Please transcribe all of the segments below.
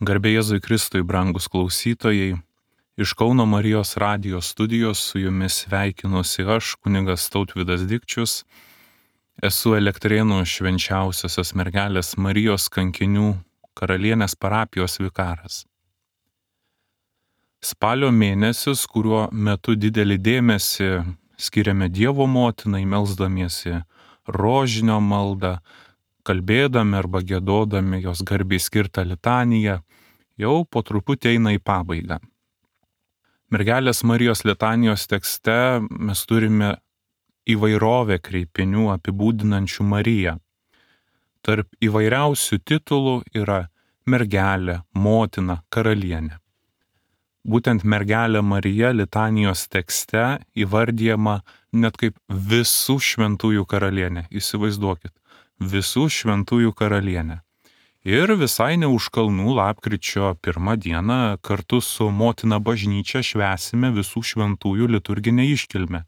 Garbė Jėzui Kristui, brangus klausytojai, iš Kauno Marijos radijos studijos su jumis sveikinuosi aš, kunigas Tautvydas Dikčius, esu Elektrėnų švenčiausiosios mergelės Marijos kankinių karalienės parapijos vikaras. Spalio mėnesis, kuriuo metu didelį dėmesį skiriame Dievo motinai, melsdamiesi rožinio maldą, kalbėdami arba giedodami jos garbei skirtą litaniją, jau po truputį eina į pabaigą. Mergelės Marijos litanijos tekste mes turime įvairovę kreipinių apibūdinančių Mariją. Tarp įvairiausių titulų yra mergelė, motina, karalienė. Būtent mergelė Marija litanijos tekste įvardyjama net kaip visų šventųjų karalienė. Įsivaizduokit, visų šventųjų karalienė. Ir visai ne už kalnų lapkričio 1 dieną kartu su motina bažnyčia švęsime visų šventųjų liturginę iškilmę.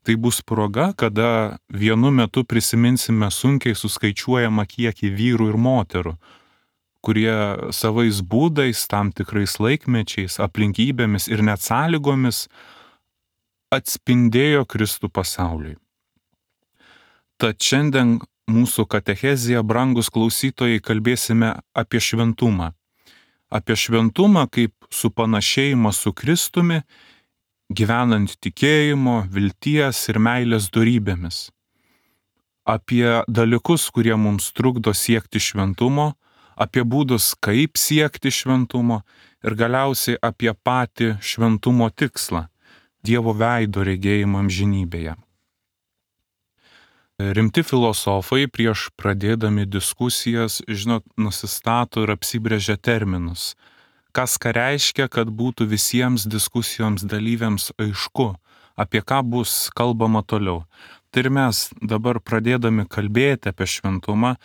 Tai bus proga, kada vienu metu prisiminsime sunkiai suskaičiuojamą kiekį vyrų ir moterų, kurie savais būdais, tam tikrais laikmečiais, aplinkybėmis ir net sąlygomis atspindėjo Kristų pasauliui. Tad šiandien mūsų katechezėje, brangus klausytojai, kalbėsime apie šventumą. Apie šventumą kaip supanašėjimą su Kristumi, gyvenant tikėjimo, vilties ir meilės dorybėmis. Apie dalykus, kurie mums trukdo siekti šventumo, apie būdus, kaip siekti šventumo ir galiausiai apie patį šventumo tikslą – Dievo veido regėjimą amžinybėje. Rimti filosofai prieš pradėdami diskusijas, nusistato ir apsibrėžia terminus. Ką reiškia, kad būtų visiems diskusijoms dalyviams aišku, apie ką bus kalbama toliau. Tai ir mes dabar pradėdami kalbėti apie šventumą,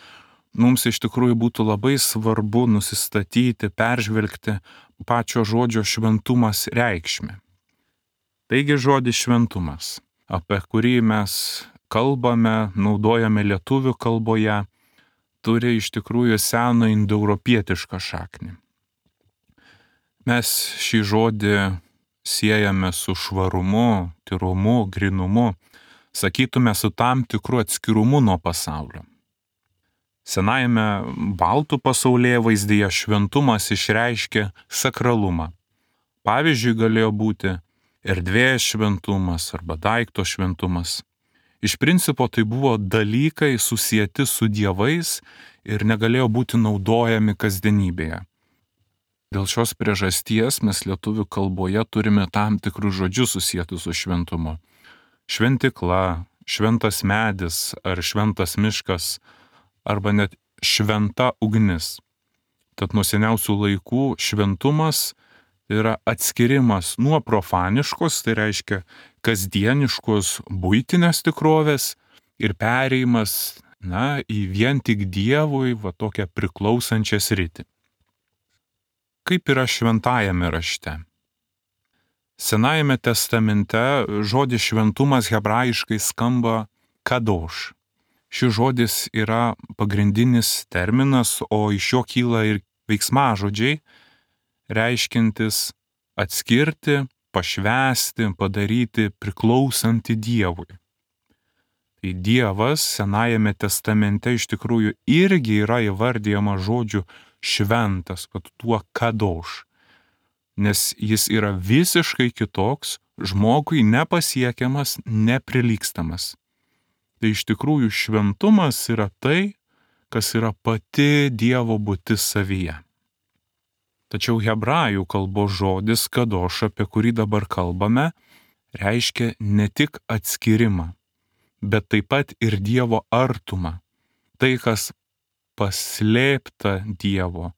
mums iš tikrųjų būtų labai svarbu nusistatyti, peržvelgti pačio žodžio šventumas reikšmę. Taigi žodis šventumas, apie kurį mes kalbame, naudojame lietuvių kalboje, turi iš tikrųjų seną indoeuropietišką šaknį. Mes šį žodį siejame su švarumu, tyrumu, grynumu, sakytume su tam tikru atskirumu nuo pasaulio. Senajame baltų pasaulėvaizdyje šventumas išreiškia sakralumą. Pavyzdžiui, galėjo būti erdvės šventumas arba daikto šventumas. Iš principo tai buvo dalykai susieti su dievais ir negalėjo būti naudojami kasdienybėje. Dėl šios priežasties mes lietuvių kalboje turime tam tikrus žodžius susietus su šventumu. Šventikla, šventas medis ar šventas miškas arba net šventa ugnis. Tad nuo seniausių laikų šventumas yra atskirimas nuo profaniškos, tai reiškia kasdieniškos buitinės tikrovės ir pereimas į vien tik Dievui tokią priklausančią sritį. Kaip yra šventajame rašte? Senajame testamente žodis šventumas hebrajiškai skamba kadoš. Šis žodis yra pagrindinis terminas, o iš jo kyla ir veiksmažodžiai, reiškintis atskirti, pašvęsti, padaryti priklausantį Dievui. Tai Dievas Senajame testamente iš tikrųjų irgi yra įvardyjama žodžiu šventas, tuo kadoš, nes jis yra visiškai kitoks, žmogui nepasiekiamas, neprilygstamas. Tai iš tikrųjų šventumas yra tai, kas yra pati Dievo būtis savyje. Tačiau hebrajų kalbos žodis kadoš, apie kurį dabar kalbame, reiškia ne tik atskyrimą, bet taip pat ir Dievo artumą. Tai, kas paslėpta Dievo,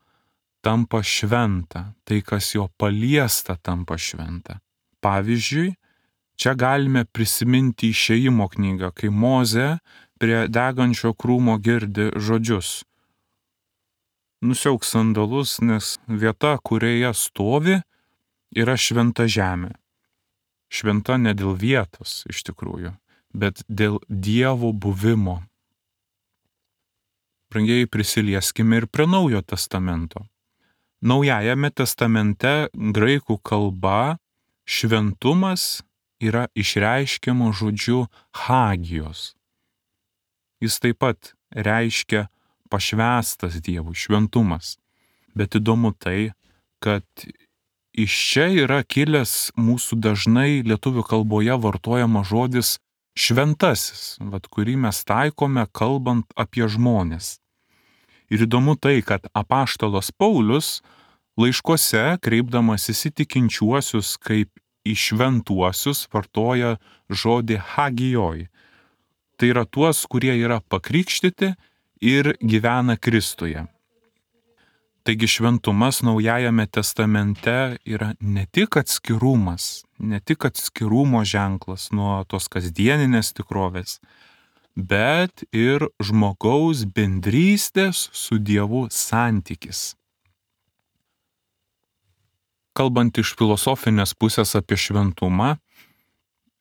tampa šventa, tai, kas jo paliesta, tampa šventa. Pavyzdžiui, čia galime prisiminti Išėjimo knygą, kai Mozė prie degančio krūmo girdi žodžius: nusiauk sandalus, nes vieta, kurioje stovi, yra šventa žemė. Šventa ne dėl vietos iš tikrųjų, bet dėl Dievo buvimo. Brangieji, prisilieskime ir prie Naujojo testamento. Naujajame testamente graikų kalba šventumas yra išreiškiama žodžiu hagijos. Jis taip pat reiškia pašvęstas Dievui, šventumas. Bet įdomu tai, kad iš čia yra kilęs mūsų dažnai lietuvių kalboje vartojama žodis šventasis, kurį mes taikome kalbant apie žmones. Ir įdomu tai, kad apaštalas Paulius laiškuose, kreipdamasis į tikinčiuosius kaip į šventuosius, vartoja žodį hagijoj. Tai yra tuos, kurie yra pakrikštyti ir gyvena Kristuje. Taigi šventumas Naujajame testamente yra ne tik atskirumas, ne tik atskirumo ženklas nuo tos kasdieninės tikrovės, bet ir žmogaus bendrystės su Dievu santykis. Kalbant iš filosofinės pusės apie šventumą,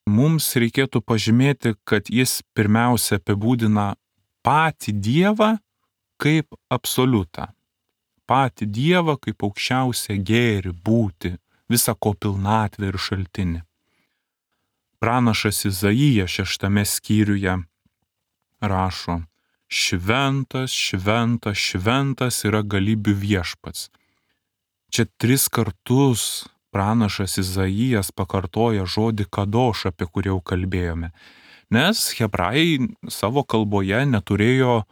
mums reikėtų pažymėti, kad jis pirmiausia apibūdina patį Dievą kaip absoliutą. Patį Dievą kaip aukščiausią gėrį, būti, visą ko pilnatvę ir šaltinį. Pranašas Izaijas 6 skyriuje rašo: šventas, šventas, šventas yra galybių viešpats. Čia 3 kartus pranašas Izaijas pakartoja žodį kadoš, apie kurį jau kalbėjome, nes hebrajai savo kalboje neturėjo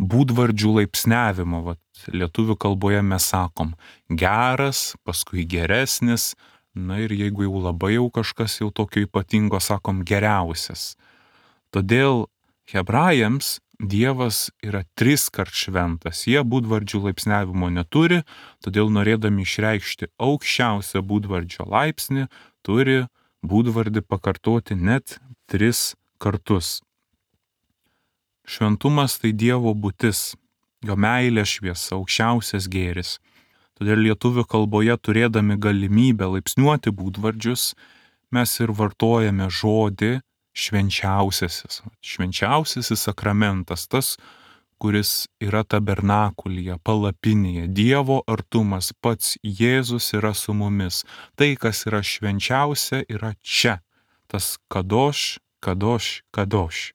būdvardžių laipsniavimo. Lietuvių kalboje mes sakom geras, paskui geresnis, ir jeigu jau labai jau kažkas jau tokio ypatingo, sakom geriausias. Todėl hebrajams Dievas yra 3 kart šventas. Jie būdvardžių laipsniavimo neturi, todėl norėdami išreikšti aukščiausią būdvardžio laipsnį, turi būdvardį pakartoti net 3 kartus. Šventumas tai Dievo būtis, jo meilė šviesa, aukščiausias gėris. Todėl lietuvių kalboje turėdami galimybę laipsniuoti būdvardžius, mes ir vartojame žodį švenčiausiasis. Švenčiausiasis sakramentas, tas, kuris yra tabernakulyje, palapinėje, Dievo artumas, pats Jėzus yra su mumis. Tai, kas yra švenčiausia, yra čia. Tas kadoš, kadoš, kadoš.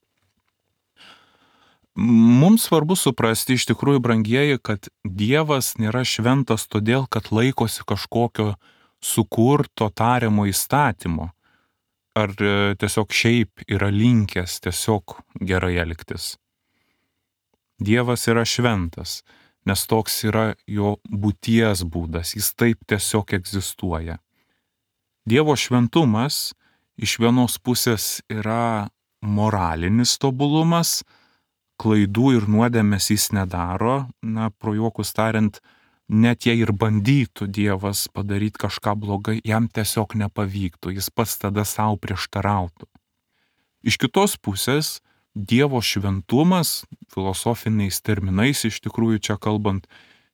Mums svarbu suprasti iš tikrųjų, brangieji, kad Dievas nėra šventas todėl, kad laikosi kažkokio sukurto tariamo įstatymo, ar tiesiog šiaip yra linkęs tiesiog gerai elgtis. Dievas yra šventas, nes toks yra jo būties būdas, jis taip tiesiog egzistuoja. Dievo šventumas iš vienos pusės yra moralinis tobulumas, klaidų ir nuodėmės jis nedaro, pro juokus tariant, net jei ir bandytų Dievas padaryti kažką blogai, jam tiesiog nepavyktų, jis pats tada savo prieštarautų. Iš kitos pusės, Dievo šventumas, filosofiniais terminais iš tikrųjų čia kalbant,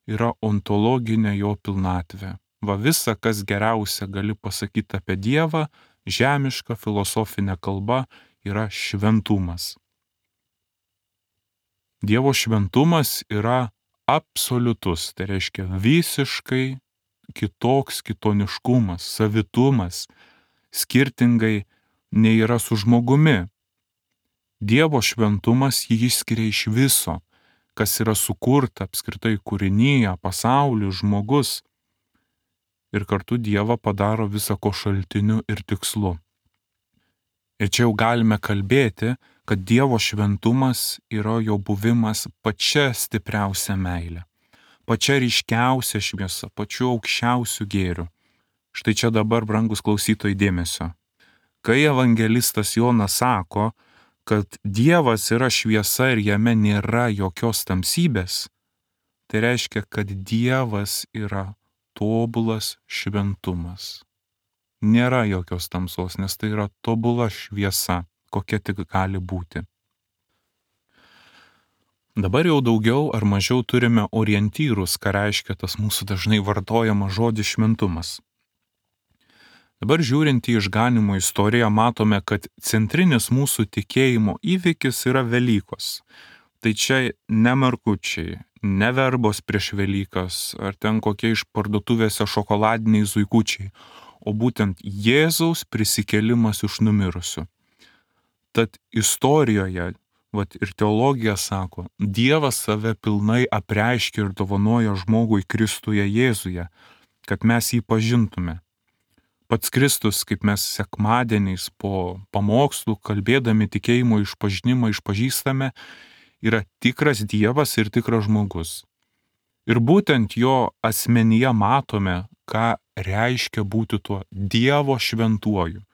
yra ontologinė jo pilnatvė. Visa, kas geriausia gali pasakyti apie Dievą, žemiška filosofinė kalba yra šventumas. Dievo šventumas yra absoliutus, tai reiškia visiškai kitoks kitoniškumas, savitumas, skirtingai nei yra su žmogumi. Dievo šventumas jį išskiria iš viso, kas yra sukurta apskritai kūrinyje, pasauliu, žmogus. Ir kartu Dievą padaro visako šaltiniu ir tikslu. Ir čia jau galime kalbėti, kad Dievo šventumas yra jo buvimas pačia stipriausia meilė, pačia ryškiausia šviesa, pačiu aukščiausiu gėriu. Štai čia dabar, brangus klausytojai, dėmesio. Kai evangelistas Jonas sako, kad Dievas yra šviesa ir jame nėra jokios tamsybės, tai reiškia, kad Dievas yra tobulas šventumas. Nėra jokios tamsos, nes tai yra tobula šviesa, kokia tik gali būti. Dabar jau daugiau ar mažiau turime orientyrus, ką reiškia tas mūsų dažnai vartojamas žodis šventumas. Dabar žiūrint į išganymo istoriją, matome, kad centrinis mūsų tikėjimo įvykis yra Velykos. Tai čia ne markučiai, ne verbos prieš Velykas, ar ten kokie iš parduotuvėse šokoladiniai zuikučiai, o būtent Jėzaus prisikėlimas iš numirusių. Tad istorijoje, ir teologija sako, Dievas save pilnai apreiškia ir dovanoja žmogui Kristuje Jėzuje, kad mes jį pažintume. Pats Kristus, kaip mes sekmadieniais po pamokslų, kalbėdami tikėjimo išpažinimą išpažįstame, yra tikras Dievas ir tikras žmogus. Ir būtent jo asmenyje matome, ką reiškia būti tuo Dievo šventuoju.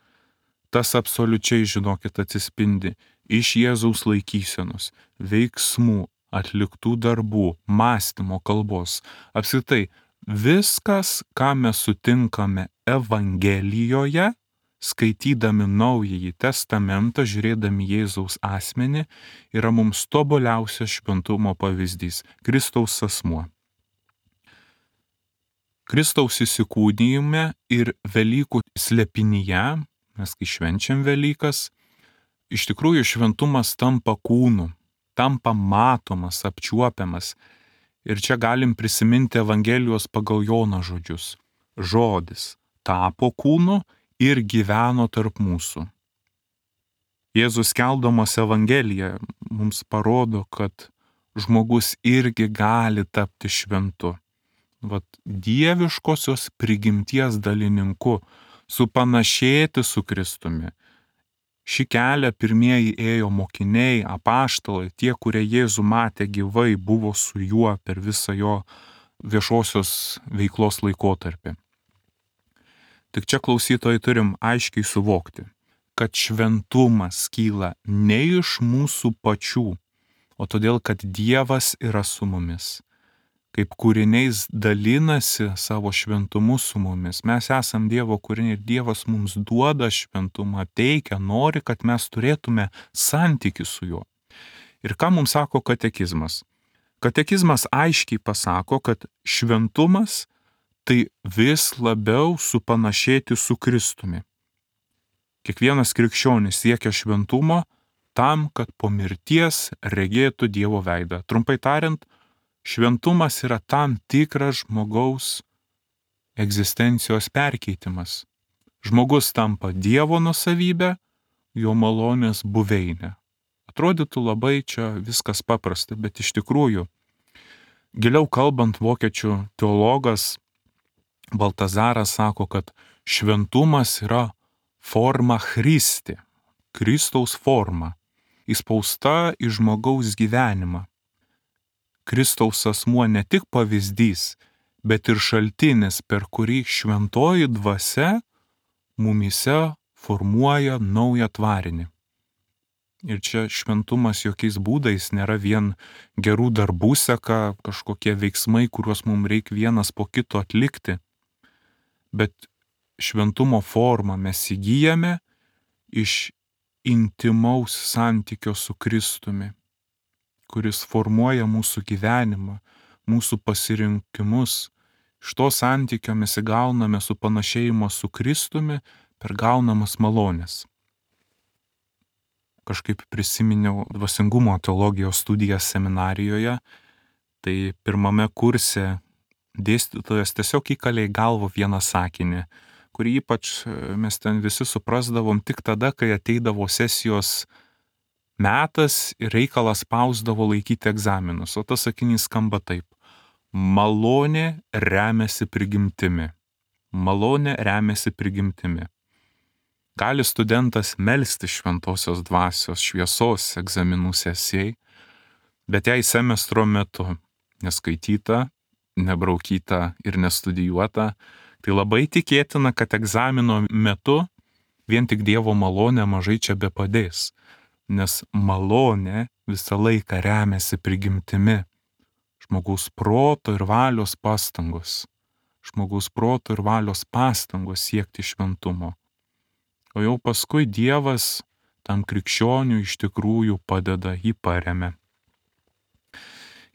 Tas absoliučiai, žinokit, atsispindi iš Jėzaus laikysenos, veiksmų, atliktų darbų, mąstymo, kalbos. Apskritai, viskas, ką mes sutinkame Evangelijoje, skaitydami Naująjį Testamentą, žiūrėdami Jėzaus asmenį, yra mums tobuliausias šventumo pavyzdys - Kristaus asmuo. Kristaus įsikūnijime ir Velykų slėpinyje, mes kai švenčiam Velykas, iš tikrųjų šventumas tampa kūnu, tampa matomas, apčiuopiamas. Ir čia galim prisiminti Evangelijos pagal Joną žodžius. Žodis tapo kūnu ir gyveno tarp mūsų. Jėzus skelbdamas Evangeliją mums parodo, kad žmogus irgi gali tapti šventu. Dieviškosios prigimties dalininku, supanašėti su Kristumi. Šį kelią pirmieji ėjo mokiniai, apaštalai, tie, kurie Jėzų matė gyvai, buvo su juo per visą jo viešosios veiklos laikotarpį. Tik čia, klausytojai, turim aiškiai suvokti, kad šventumas kyla ne iš mūsų pačių, o todėl, kad Dievas yra su mumis. Kaip kūriniais dalinasi savo šventumu su mumis. Mes esam Dievo kūriniai ir Dievas mums duoda šventumą, teikia, nori, kad mes turėtume santykį su juo. Ir ką mums sako katekizmas? Katekizmas aiškiai pasako, kad šventumas tai vis labiau supanašėti su Kristumi. Kiekvienas krikščionis siekia šventumo tam, kad po mirties regėtų Dievo veidą. Trumpai tariant, šventumas yra tam tikras žmogaus egzistencijos perkeitimas. Žmogus tampa Dievo nuosavybė, jo malonės buveinė. Atrodytų labai čia viskas paprasta, bet iš tikrųjų, giliau kalbant, vokiečių teologas Baltazaras sako, kad šventumas yra forma Christi, Kristaus forma, įspausta į žmogaus gyvenimą. Kristaus asmuo ne tik pavyzdys, bet ir šaltinis, per kurį šventoji dvasia mumyse formuoja naują tvarinį. Ir čia šventumas jokiais būdais nėra vien gerų darbų seka, kažkokie veiksmai, kuriuos mums reikia vienas po kito atlikti, bet šventumo formą mes įgyjame iš intimaus santykio su Kristumi, kuris formuoja mūsų gyvenimą, mūsų pasirinkimus. Iš to santykio mes įgauname supanašėjimo su Kristumi per gaunamas malonės. Kažkaip prisiminiau dvasingumo teologijos studijas seminarijoje, tai pirmame kurse dėstytojas tiesiog įkalė į galvą vieną sakinį, kurį ypač mes ten visi suprasdavom tik tada, kai ateidavo sesijos metas ir reikalas spausdavo laikyti egzaminus. O tas sakinys skamba taip: malonė remiasi prigimtimi. Malonė remiasi prigimtimi. Gali studentas melsti šventosios dvasios šviesos egzaminų sesijai, bet jei semestro metu neskaityta, nebraukyta ir nestudijuota, tai labai tikėtina, kad egzamino metu vien tik Dievo malonė mažai čia bepadės, nes malonė visą laiką remiasi prigimtimi, žmogaus proto ir valios pastangos, siekti šventumo. O jau paskui Dievas tam krikščioniui iš tikrųjų padeda, jį paremia.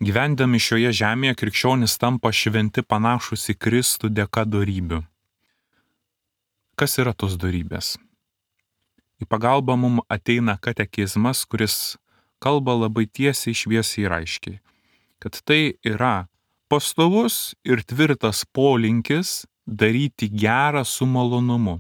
Gyvendami šioje žemėje krikščionys tampa šventi panašus į Kristų dėka dorybių. Kas yra tos dorybės? Į pagalbą mums ateina katekizmas, kuris kalba labai tiesiai, šviesiai ir aiškiai, kad tai yra pastovus ir tvirtas polinkis daryti gerą su malonumu.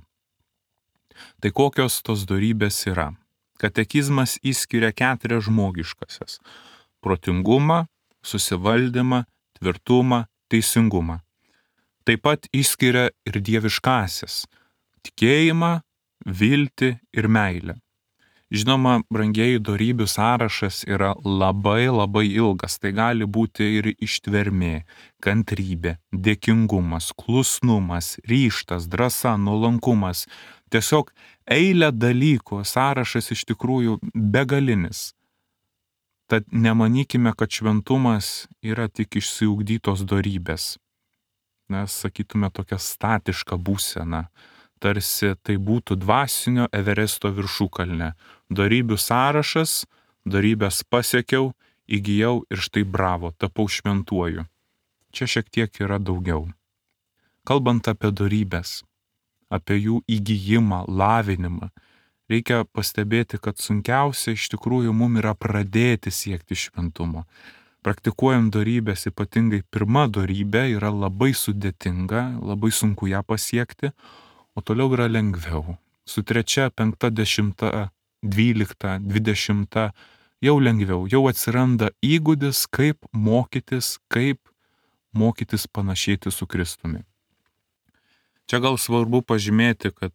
Tai kokios tos dorybės yra? Katekizmas išskiria 4 žmogiškasias - protingumą, susivaldymą, tvirtumą, teisingumą. Taip pat išskiria ir dieviškasias - tikėjimą, viltį ir meilę. Žinoma, brangieji, dorybių sąrašas yra labai ilgas. Tai gali būti ir ištvermė, kantrybė, dėkingumas, klusnumas, ryžtas, drąsa, nuolankumas. Tiesiog eilė dalykų, sąrašas iš tikrųjų begalinis. Tad nemanykime, kad šventumas yra tik išsiugdytos dorybės. Mes sakytume tokia statiška būsena. Tarsi tai būtų dvasinio Everesto viršukalnė. Dorybių sąrašas, dorybės pasiekiau, įgijau ir štai bravo, tapau šventuoju. Čia šiek tiek yra daugiau. Kalbant apie dorybės, apie jų įgijimą, lavinimą, reikia pastebėti, kad sunkiausia iš tikrųjų mums yra pradėti siekti šventumo. Praktikuojant dorybės, ypatingai pirma dorybė, yra labai sudėtinga, labai sunku ją pasiekti, o toliau yra lengviau. Su 3, 5, 10, 12, 20 jau lengviau, jau atsiranda įgūdis, kaip mokytis panašėti su Kristumi. Čia gal svarbu pažymėti, kad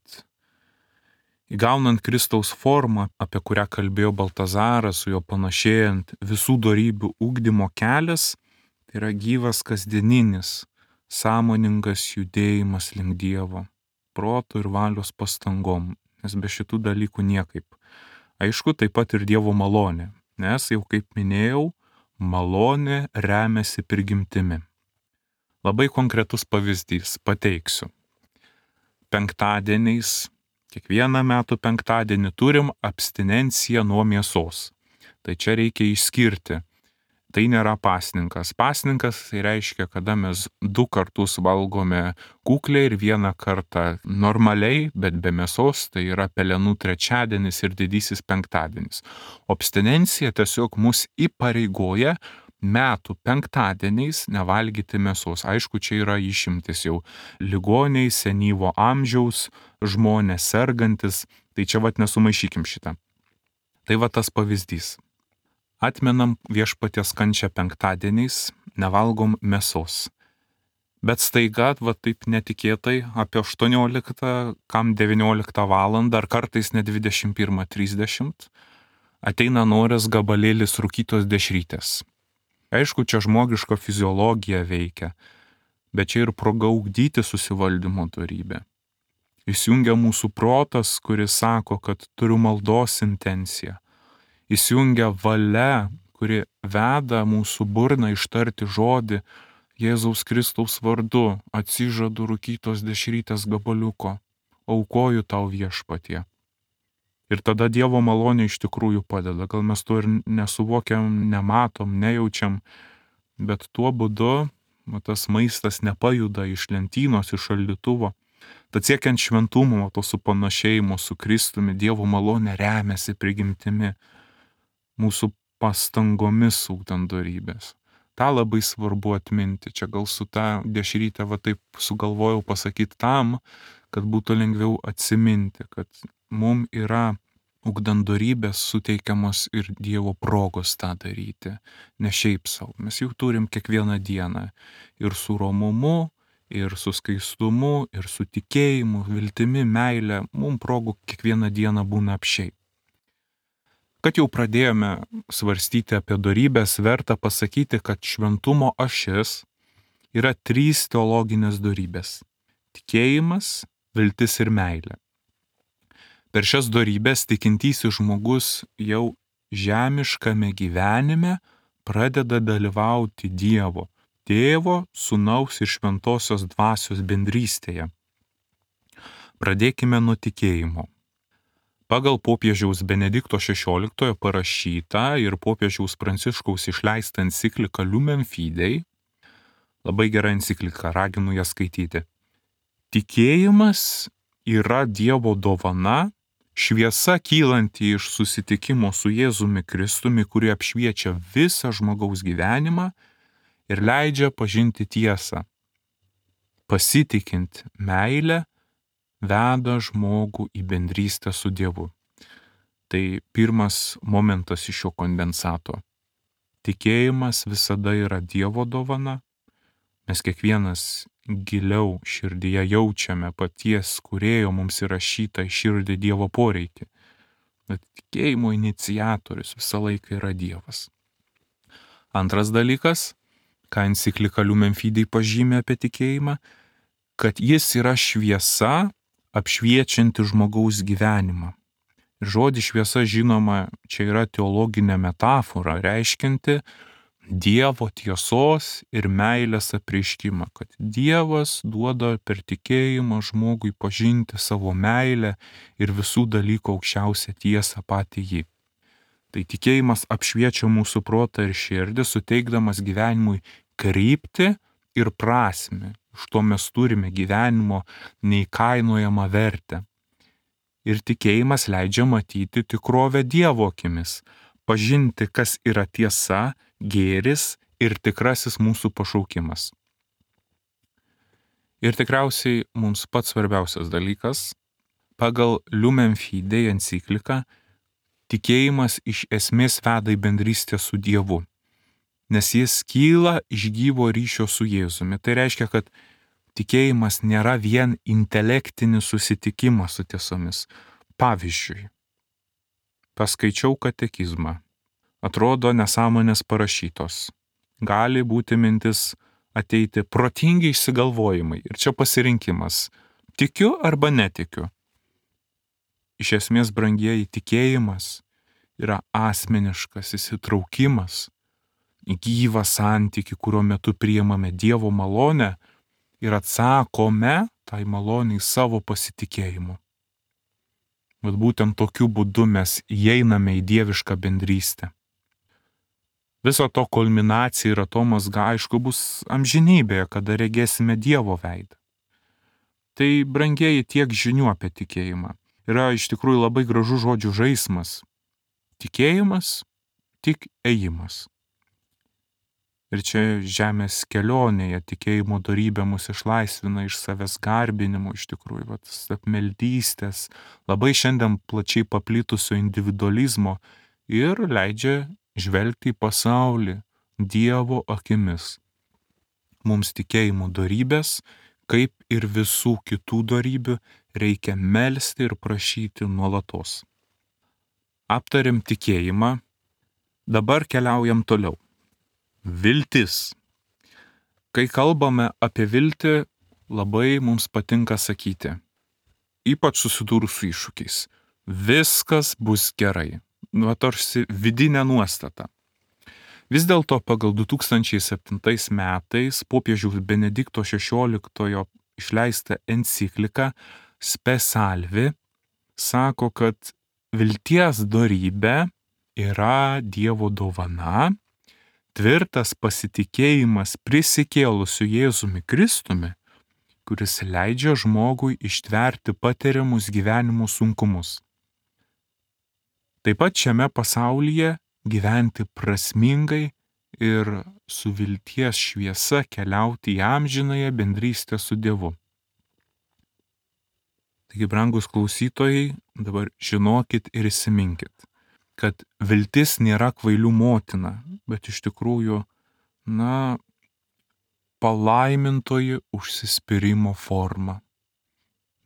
įgaunant Kristaus formą, apie kurią kalbėjo Baltazaras, su juo panašėjant, visų dorybių ugdymo kelias, tai yra gyvas kasdieninis, sąmoningas judėjimas link Dievo, proto ir valios pastangom, nes be šitų dalykų niekaip. Aišku, taip pat ir Dievo malonė, nes jau kaip minėjau, malonė remiasi prigimtimi. Labai konkretus pavyzdys pateiksiu. Penktadieniais, kiekvieną metų penktadienį turim abstinenciją nuo mėsos. Tai čia reikia išskirti. Tai nėra pasninkas. Pasninkas tai reiškia, kada mes 2 kartus valgome kukliai ir 1 kartą normaliai, bet be mėsos, tai yra pelenų trečiadienis ir didysis penktadienis. Abstinencija tiesiog mus įpareigoja metų penktadieniais nevalgyti mėsos. Aišku, čia yra išimtis jau ligoniai, senyvo amžiaus, žmonės sergantis, tai čia nesumaišykim šitą. Tai tas pavyzdys. Atmenam viešpaties kančią penktadieniais, nevalgom mėsos. Bet staiga, taip netikėtai, apie 18, kam 19 valandą, ar kartais net 21:30, ateina noras gabalėlis rūkytos dešrytės. Aišku, čia žmogiška fiziologija veikia, bet čia ir proga ugdyti susivaldymo dorybę. Įsijungia mūsų protas, kuris sako, kad turiu maldos intenciją. Įsijungia valia, kuri veda mūsų burną ištarti žodį Jėzaus Kristaus vardu, atsižadu rūkytos dešrytės gabaliuko, aukoju tau viešpatie. Ir tada Dievo malonė iš tikrųjų padeda. Gal mes to ir nesuvokiam, nematom, nejaučiam, bet tuo būdu tas maistas nepajuda iš lentynos, iš šaldytuvo. Tad siekiant šventumo, to supanašėjimo su Kristumi, Dievo malonė remiasi prigimtimi, mūsų pastangomis ugdant dorybės. Ta labai svarbu atminti. Čia gal su ta dešryte taip sugalvojau pasakyti tam, kad būtų lengviau atsiminti, kad mums yra ugdant dorybės suteikiamos ir Dievo progos tą daryti. Ne šiaip savo. Mes jau turim kiekvieną dieną ir su romumu, ir su skaistumu, ir su tikėjimu, viltimi, meile. Mums progų kiekvieną dieną būna apšiai. Kad jau pradėjome svarstyti apie dorybės, verta pasakyti, kad šventumo ašis yra 3 teologinės dorybės - tikėjimas, viltis ir meilė. Per šias dorybės tikintysis žmogus jau žemiškame gyvenime pradeda dalyvauti Dievo, Tėvo, Sūnaus ir Šventosios Dvasios bendrystėje. Pradėkime nuo tikėjimo. Pagal popiežiaus Benedikto XVI parašytą ir popiežiaus Pranciškaus išleistą encikliką Lumen Fidei, labai gera enciklika, raginu ją skaityti. Tikėjimas yra Dievo dovana, šviesa kylanti iš susitikimo su Jėzumi Kristumi, kuri apšviečia visą žmogaus gyvenimą ir leidžia pažinti tiesą. Pasitikint meilę veda žmogų į bendrystę su Dievu. Tai pirmas momentas iš šio kondensato. Tikėjimas visada yra Dievo dovana. Mes kiekvienas giliau širdyje jaučiame paties Kūrėjo mums įrašytą į širdį Dievo poreikį. Bet tikėjimo iniciatorius visą laiką yra Dievas. Antras dalykas, ką enciklika Lumen Fidei pažymė apie tikėjimą, kad jis yra šviesa, apšviečianti žmogaus gyvenimą. Ir žodis šviesa, žinoma, čia yra teologinė metafora, reiškianti Dievo tiesos ir meilės apreiškimą, kad Dievas duoda per tikėjimą žmogui pažinti savo meilę ir visų dalykų aukščiausią tiesą patį jį. Tai tikėjimas apšviečia mūsų protą ir širdį, suteikdamas gyvenimui kryptį ir prasmę. Iš to mes turime gyvenimo neįkainojamą vertę. Ir tikėjimas leidžia matyti tikrovę Dievo akimis, pažinti, kas yra tiesa, gėris ir tikrasis mūsų pašaukimas. Ir tikriausiai mums pats svarbiausias dalykas, pagal Lumen Fidei encikliką, tikėjimas iš esmės veda į bendrystę su Dievu, nes jis kyla iš gyvo ryšio su Jėzumi. Tai reiškia, kad tikėjimas nėra vien intelektinis susitikimas su tiesomis. Pavyzdžiui, paskaičiau katekizmą. Atrodo nesąmonės parašytos. Gali būti mintis ateiti protingi išsigalvojimai. Ir čia pasirinkimas. Tikiu arba netikiu. Iš esmės, brangieji, tikėjimas yra asmeniškas įsitraukimas į gyvą santykį, kurio metu priimame Dievo malonę ir atsakome tai maloniai savo pasitikėjimu. Bet būtent tokiu būdu mes įeiname į dievišką bendrystę. Viso to kulminacija ir atomazga, aišku, bus amžinybėje, kada regėsime Dievo veidą. Tai, brangieji, tiek žinių apie tikėjimą. Yra iš tikrųjų labai gražus žodžių žaismas. Tikėjimas, tik ėjimas. Ir čia žemės kelionėje tikėjimo dorybė mus išlaisvina iš savęs garbinimo, iš tikrųjų, apmeldystės, labai šiandien plačiai paplitusio individualizmo ir leidžia žvelgti į pasaulį Dievo akimis. Mums tikėjimo dorybės, kaip ir visų kitų dorybių, reikia melsti ir prašyti nuolatos. Aptarėm tikėjimą, dabar keliaujam toliau. Viltis. Kai kalbame apie viltį, labai mums patinka sakyti, ypač susidūrus su iššūkiais, viskas bus gerai. Tarsi vidinė nuostata. Vis dėlto pagal 2007 metais popiežiaus Benedikto XVI išleistą encikliką Spe Salvi sako, kad vilties dorybė yra Dievo dovana, tvirtas pasitikėjimas prisikėlusiu Jėzumi Kristumi, kuris leidžia žmogui ištverti patiriamus gyvenimo sunkumus. Taip pat šiame pasaulyje gyventi prasmingai ir su vilties šviesa keliauti į amžinąją bendrystę su Dievu. Taigi, brangus klausytojai, dabar žinokit ir įsiminkit, kad viltis nėra kvailių motina, bet iš tikrųjų, palaimintoji užsispyrimo forma.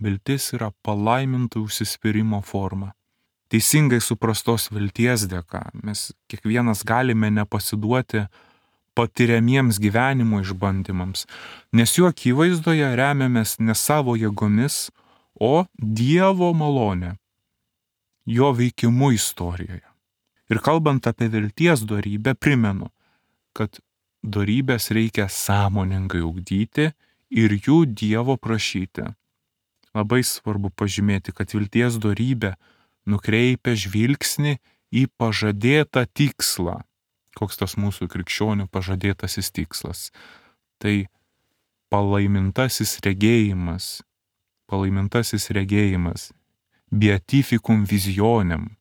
Viltis yra palaimintoji užsispyrimo forma. Teisingai suprastos vilties dėka mes kiekvienas galime nepasiduoti patiriamiems gyvenimo išbandymams, nes jų akivaizdoje remiamės ne savo jėgomis, o Dievo malonė, jo veikimu istorijoje. Ir kalbant apie vilties dorybę, primenu, kad dorybės reikia sąmoningai ugdyti ir jų Dievo prašyti. Labai svarbu pažymėti, kad vilties dorybė nukreipia žvilgsnį į pažadėtą tikslą. Koks tas mūsų krikščionių pažadėtasis tikslas? Tai palaimintasis regėjimas, beatificum visionem,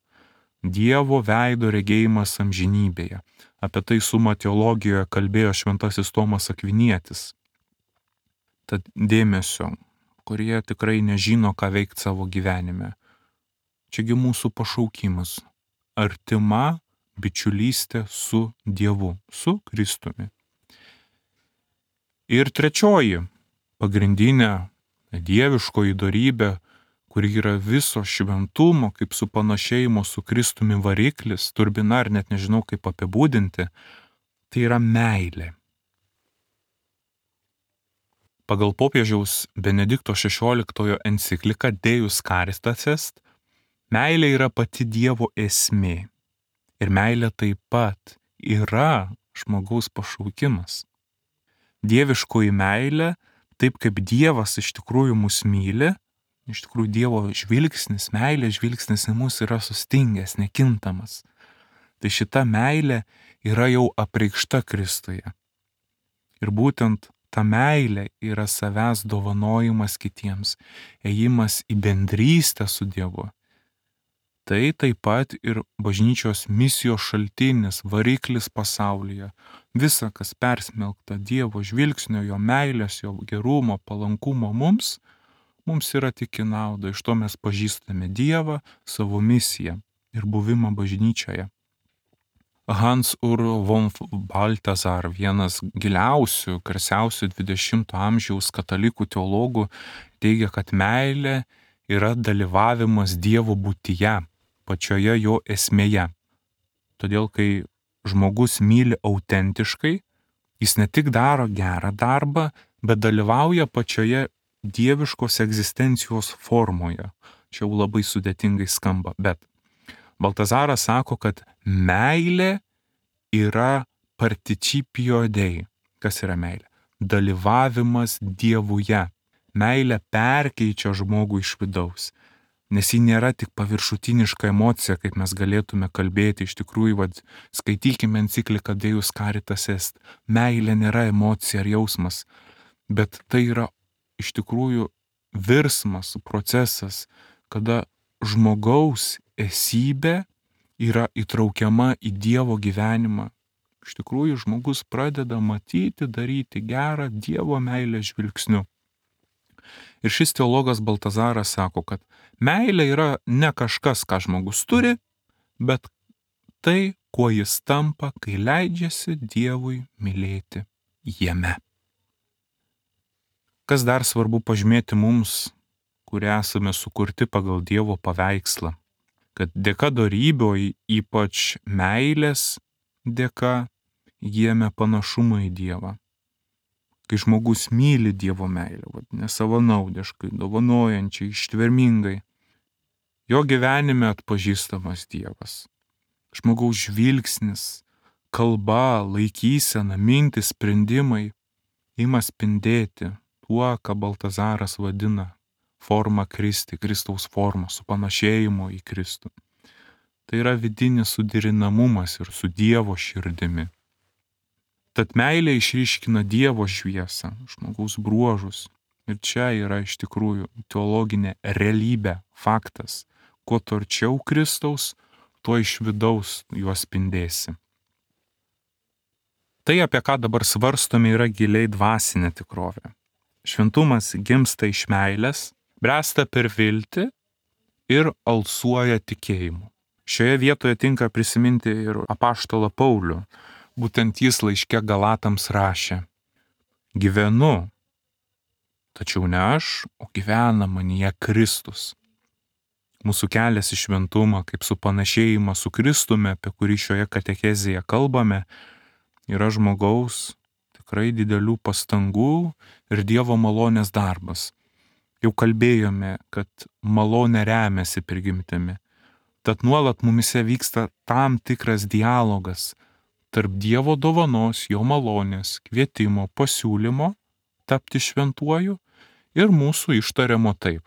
Dievo veido regėjimas amžinybėje. Apie tai Summa teologijoje kalbėjo šventasis Tomas Akvinietis. Tad dėmesio, kurie tikrai nežino, ką veikti savo gyvenime. Čiagi mūsų pašaukimas - artima bičiulystė su Dievu, su Kristumi. Ir trečioji, pagrindinė dieviškoji dorybė, kuri yra viso šventumo, kaip supanašėjimo su Kristumi variklis, turbina, ar net nežinau kaip apibūdinti, tai yra meilė. Pagal popiežiaus Benedikto XVI encikliką Deus Caritas Est, meilė yra pati Dievo esmė. Ir meilė taip pat yra žmogaus pašaukimas. Dieviškoji meilė, taip kaip Dievas iš tikrųjų mus myli, iš tikrųjų Dievo žvilgsnis, meilės žvilgsnis į mus yra sustingęs, nekintamas. Tai šita meilė yra jau apreikšta Kristuje. Ir būtent ta meilė yra savęs dovanojimas kitiems, ėjimas į bendrystę su Dievu. Tai taip pat ir bažnyčios misijos šaltinis, variklis pasaulyje. Visa, kas persmelkta Dievo žvilgsnio, jo meilės, jo gerumo, palankumo mums yra tik į naudą. Iš to mes pažįstame Dievą, savo misiją ir buvimą bažnyčioje. Hans Ur von Balthasar, vienas giliausių, garsiausių 20-ojo amžiaus katalikų teologų, teigia, kad meilė yra dalyvavimas Dievo būtyje, pačioje jo esmėje. Todėl, kai žmogus myli autentiškai, jis ne tik daro gerą darbą, bet dalyvauja pačioje dieviškos egzistencijos formoje. Čia jau labai sudėtingai skamba, bet Baltazaras sako, kad meilė yra participio Dei. Kas yra meilė? Dalyvavimas Dievuje. Meilė perkeičia žmogų iš vidaus. Nes ji nėra tik paviršutiniška emocija, kaip mes galėtume kalbėti. Iš tikrųjų, skaitykime encikliką Deus Caritas Est. Meilė nėra emocija ar jausmas, bet tai yra iš tikrųjų virsmas, procesas, kada žmogaus esybė yra įtraukiama į Dievo gyvenimą. Iš tikrųjų, žmogus pradeda matyti, daryti gerą Dievo meilės žvilgsniu. Ir šis teologas Baltazaras sako, kad meilė yra ne kažkas, ką žmogus turi, bet tai, kuo jis tampa, kai leidžiasi Dievui mylėti jame. Kas dar svarbu pažymėti mums, kurie esame sukurti pagal Dievo paveikslą, kad dėka dorybių, ypač meilės dėka, įgyjame panašumą į Dievą. Kai žmogus myli Dievo meilę, nesavanaudiškai, dovanojančiai, ištvermingai, jo gyvenime atpažįstamas Dievas. Žmogaus žvilgsnis, kalba, laikysena, mintis, sprendimai ima spindėti tuo, ką Baltazaras vadina forma Kristi, Kristaus forma, supanašėjimo į Kristų. Tai yra vidinis suderinamumas ir su Dievo širdimi. Tad meilė išryškina Dievo šviesą, žmogaus bruožus. Ir čia yra iš tikrųjų teologinė realybė, faktas. Kuo arčiau Kristaus, tuo iš vidaus juos spindėsi. Tai, apie ką dabar svarstome, yra giliai dvasinė tikrovė. Šventumas gimsta iš meilės, bręsta per viltį ir alsuoja tikėjimu. Šioje vietoje tinka prisiminti ir apaštalą Paulių. Būtent jis laiške Galatams rašė: gyvenu, tačiau ne aš, o gyvena manyje Kristus. Mūsų kelias į šventumą, kaip supanašėjimą su Kristumi, apie kurį šioje katekezėje kalbame, yra žmogaus tikrai didelių pastangų ir Dievo malonės darbas. Jau kalbėjome, kad malonė remiasi prigimtimi. Tad nuolat mumise vyksta tam tikras dialogas tarp Dievo dovanos, jo malonės, kvietimo, pasiūlymo tapti šventuoju ir mūsų ištariamo taip.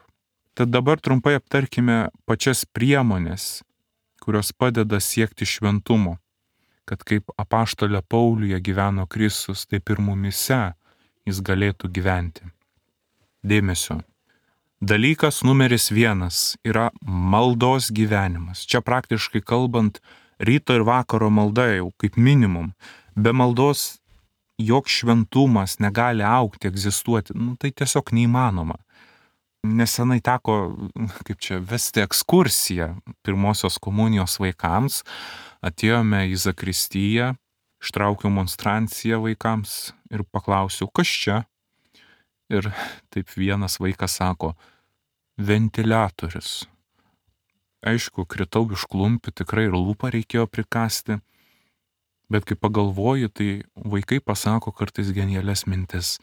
Tad dabar trumpai aptarkime pačias priemonės, kurios padeda siekti šventumo, kad kaip apaštale Pauliuje gyveno Kristus, taip ir mumise jis galėtų gyventi. Dėmesio. Dalykas numeris 1 yra maldos gyvenimas. Čia praktiškai kalbant Ryto ir vakaro malda jau kaip minimum. Be maldos joks šventumas negali augti, egzistuoti. Tai tiesiog neįmanoma. Nesenai teko, vesti ekskursiją pirmosios komunijos vaikams. Atėjome į zakristiją, ištraukiau monstranciją vaikams ir paklausiau, kas čia? Ir taip vienas vaikas sako, ventiliatorius. Aišku, kritau iš klumpių, tikrai ir lūpą reikėjo prikasti. Bet kai pagalvoju, tai vaikai pasako kartais genialias mintis.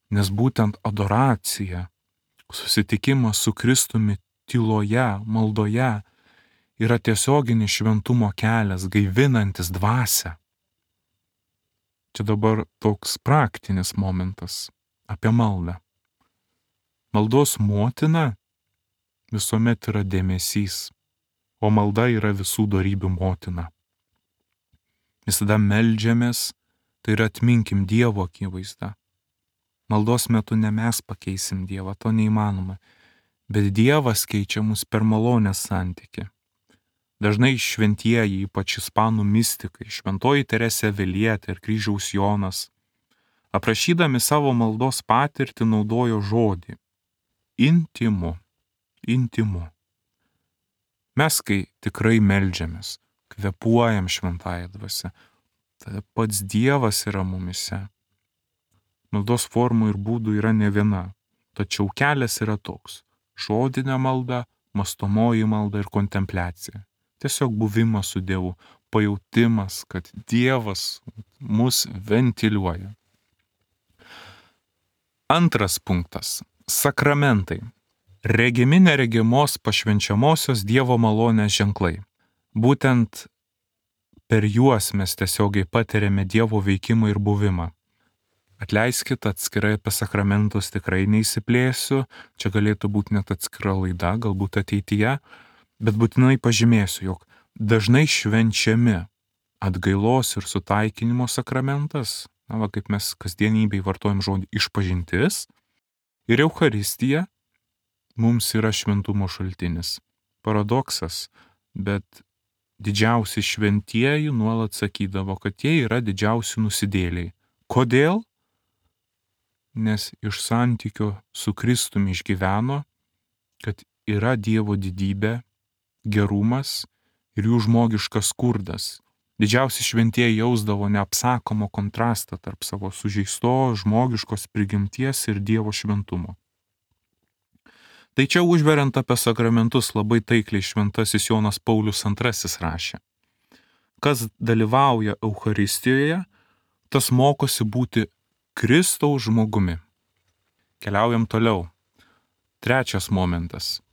Nes būtent adoracija, susitikimas su Kristumi tyloje, maldoje yra tiesioginis šventumo kelias, gaivinantis dvasią. Čia dabar toks praktinis momentas apie maldą. Maldos motina visuomet yra dėmesys, o malda yra visų dorybių motina. Visada meldžiamės, tai yra atminkim Dievo akivaizdą. Maldos metu ne mes pakeisim Dievą, to neįmanoma, bet Dievas keičia mus per malonės santykį. Dažnai šventieji, ypač ispanų mistikai, šventoji Teresė Avilietė ir Kryžiaus Jonas, aprašydami savo maldos patirtį naudojo žodį intimu. Intimu. Mes, kai tikrai meldžiamės, kvėpuojam šventąją dvasią, tada pats Dievas yra mumise. Maldos formų ir būdų yra ne viena, tačiau kelias yra toks - žodinė malda, mąstomoji malda ir kontempliacija. Tiesiog buvimas su Dievu, pajautimas, kad Dievas mus ventiliuoja. Antras punktas - sakramentai. Regimi neregimos pašvenčiamosios Dievo malonės ženklai. Būtent per juos mes tiesiogiai patiriame Dievo veikimą ir buvimą. Atleiskit, atskirai apie sakramentus tikrai neįsiplėsiu, čia galėtų būti net atskira laida, galbūt ateityje, bet būtinai pažymėsiu, jog dažnai švenčiami atgailos ir sutaikinimo sakramentas, kaip mes kasdienybėj vartojam žodį išpažintis, ir Eucharistija mums yra šventumo šaltinis. Paradoksas, bet didžiausi šventieji nuolat sakydavo, kad jie yra didžiausi nusidėliai. Kodėl? Nes iš santykio su Kristumi išgyveno, kad yra Dievo didybė, gerumas ir jų žmogiškas skurdas. Didžiausi šventieji jausdavo neapsakomo kontrastą tarp savo sužeistos žmogiškos prigimties ir Dievo šventumo. Tai čia užveriant apie sakramentus labai taikliai šventasis Jonas Paulius II rašė. Kas dalyvauja Eucharistijoje, tas mokosi būti Kristaus žmogumi. Keliaujam toliau. Trečias momentas.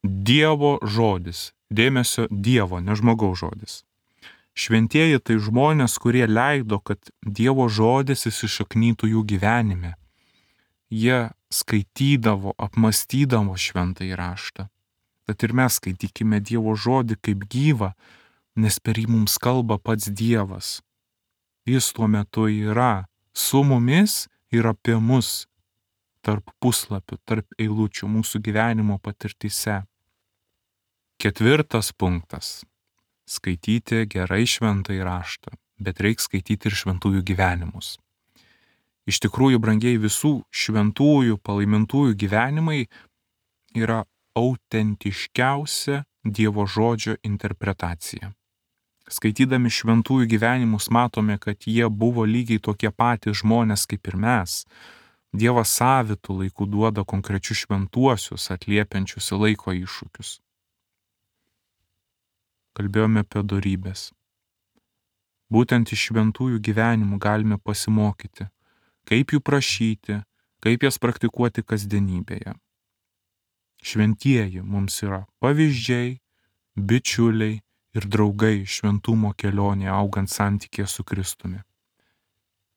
Dievo žodis. Dėmesio Dievo, ne žmogaus žodis. Šventieji tai žmonės, kurie leido, kad Dievo žodis įsišaknytų jų gyvenime. Jie skaitydavo, apmastydavo šventąjį raštą. Tad ir mes skaitykime Dievo žodį kaip gyvą, nes per jį mums kalba pats Dievas. Jis tuo metu yra su mumis ir apie mus, tarp puslapių, tarp eilučių mūsų gyvenimo patirtyse. Ketvirtas punktas. Skaityti gerai šventąjį raštą, bet reikia skaityti ir šventųjų gyvenimus. Iš tikrųjų, brangiai, visų šventųjų, palaimintųjų gyvenimai yra autentiškiausia Dievo žodžio interpretacija. Skaitydami šventųjų gyvenimus matome, kad jie buvo lygiai tokie patys žmonės kaip ir mes. Dievas savitų laikų duoda konkrečius šventuosius, atliepiančius į laiko iššūkius. Kalbėjome apie dorybės. Būtent iš šventųjų gyvenimų galime pasimokyti, kaip jų prašyti, kaip jas praktikuoti kasdienybėje. Šventieji mums yra pavyzdžiai, bičiuliai ir draugai šventumo kelionėje augant santykėje su Kristumi.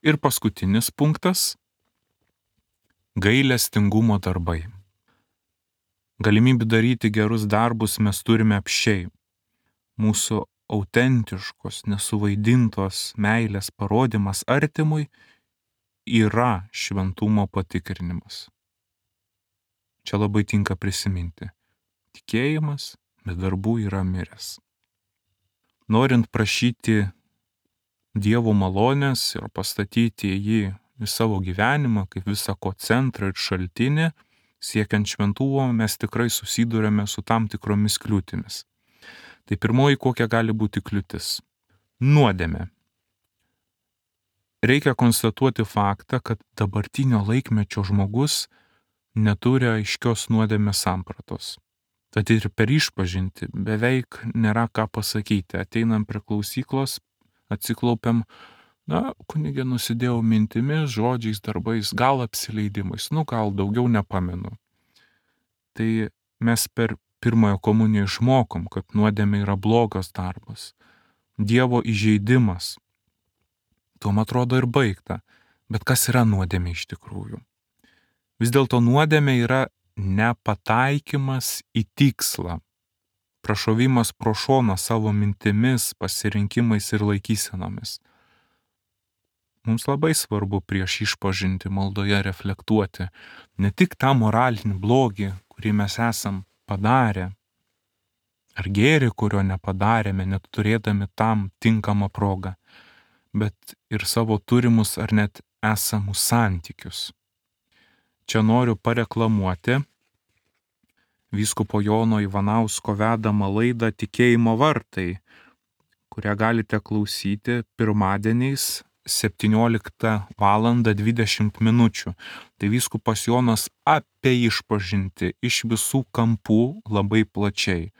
Ir paskutinis punktas - gailestingumo darbai. Galimybių daryti gerus darbus mes turime apsčiai. Mūsų autentiškos, nesuvaidintos meilės parodymas artimui yra šventumo patikrinimas. Čia labai tinka prisiminti. Tikėjimas be darbų yra miręs. Norint prašyti Dievo malonės ir pastatyti jį į savo gyvenimą kaip visako centrą ir šaltinį, siekiant šventumo, mes tikrai susidurėme su tam tikromis kliūtimis. Tai pirmoji, kokia gali būti kliūtis - nuodėmė. Reikia konstatuoti faktą, kad dabartinio laikmečio žmogus neturi aiškios nuodėmės sampratos. Tad ir per išpažinti beveik nėra ką pasakyti. Ateinam prie klausyklos, atsiklaupiam, kunigė, nusidėjau mintimis, žodžiais, darbais, gal apsileidimais, gal daugiau nepamenu. Tai mes per pirmąją komuniją išmokom, kad nuodėmė yra blogas darbas, Dievo įžeidimas. Tuom atrodo ir baigta. Bet kas yra nuodėmė iš tikrųjų? Vis dėlto nuodėmė yra nepataikymas į tikslą, prašovimas pro šoną savo mintimis, pasirinkimais ir laikysenomis. Mums labai svarbu prieš išpažinti maldoje reflektuoti ne tik tą moralinį blogį, kurį mes esam padarę, ar gėrį, kurio nepadarėme, net turėdami tam tinkamą progą, bet ir savo turimus ar net esamus santykius. Čia noriu pareklamuoti vyskupo Jono Ivanausko vedamą laidą Tikėjimo vartai, kurią galite klausyti pirmadieniais 17:20 min. Tai vyskupas Jonas apie išpažinti iš visų kampų labai plačiai.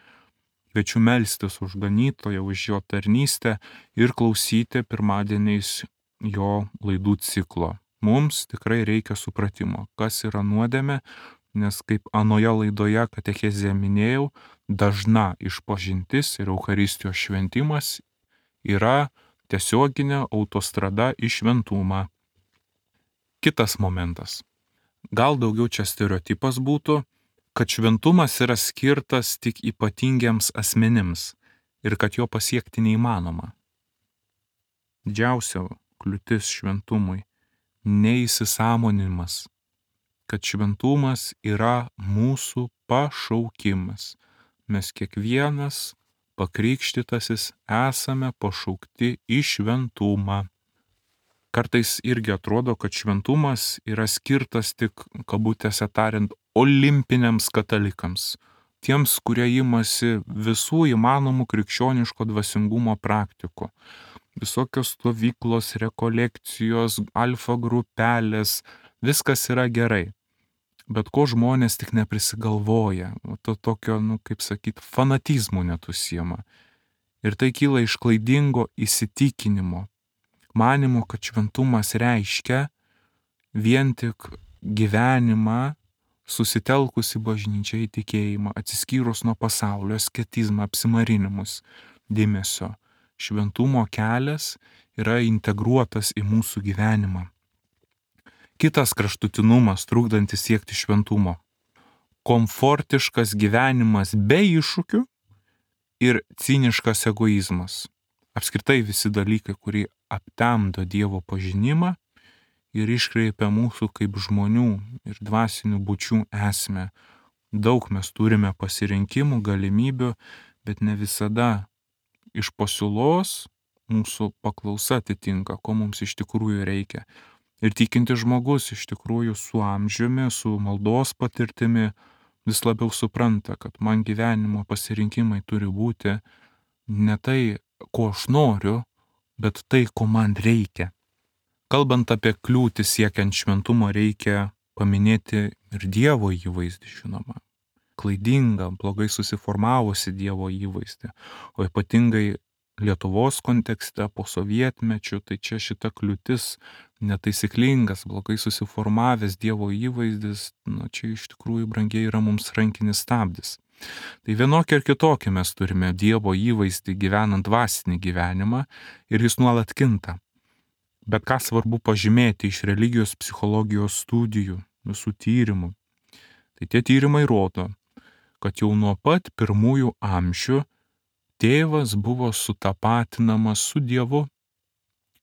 Kviečiu melstis už ganytoją, už jo tarnystę ir klausyti pirmadieniais jo laidų ciklo. Mums tikrai reikia supratimo, kas yra nuodėmė, nes kaip anoje laidoje katechezėje minėjau, dažna išpažintis ir Eucharistijos šventimas yra tiesioginė autostrada į šventumą. Kitas momentas. Gal daugiau čia stereotipas būtų, kad šventumas yra skirtas tik ypatingiems asmenims ir kad jo pasiekti neįmanoma. Didžiausia kliūtis šventumui - neįsisąmoninimas, kad šventumas yra mūsų pašaukimas. Mes kiekvienas pakrikštytasis esame pašaukti į šventumą. Kartais irgi atrodo, kad šventumas yra skirtas tik, kabutėse tariant, olimpiniams katalikams. Tiems, kurie imasi visų įmanomų krikščioniško dvasingumo praktikų. Visokios stovyklos, rekolekcijos, alfa grupelės, viskas yra gerai. Bet ko žmonės tik neprisigalvoja, to tokio, kaip sakyt, fanatizmų net užsiema. Ir tai kyla iš klaidingo įsitikinimo, manimo, kad šventumas reiškia vien tik gyvenimą susitelkus į bažnyčią, į tikėjimą, atsiskyrus nuo pasaulio, asketizmą, apsimarinimus dėmesio. Šventumo kelias yra integruotas į mūsų gyvenimą. Kitas kraštutinumas, trukdantis siekti šventumo - komfortiškas gyvenimas be iššūkių ir ciniškas egoizmas. Apskritai visi dalykai, kurie aptemdo Dievo pažinimą ir iškreipia mūsų kaip žmonių ir dvasinių būčių esmę. Daug mes turime pasirinkimų, galimybių, bet ne visada iš pasiūlos mūsų paklausa atitinka, ko mums iš tikrųjų reikia. Ir tikintis žmogus iš tikrųjų su amžiumi, su maldos patirtimi vis labiau supranta, kad man gyvenimo pasirinkimai turi būti ne tai, ko aš noriu, bet tai, ko man reikia. Kalbant apie kliūtį siekiant šventumo, reikia paminėti ir Dievo įvaizdį, žinoma. Klaidingą, blogai susiformavusi Dievo įvaizdį, o ypatingai Lietuvos kontekste po sovietmečių, tai čia šita kliūtis netaisyklingas, blogai susiformavęs Dievo įvaizdis, čia iš tikrųjų brangiai yra mums rankinis stabdis. Tai vienokį ir kitokį mes turime Dievo įvaizdį gyvenant dvasinį gyvenimą ir jis nuolat kinta. Bet ką svarbu pažymėti iš religijos psichologijos studijų, visų tyrimų, tai tie tyrimai rodo, kad jau nuo pat pirmųjų amžių tėvas buvo sutapatinamas su Dievu.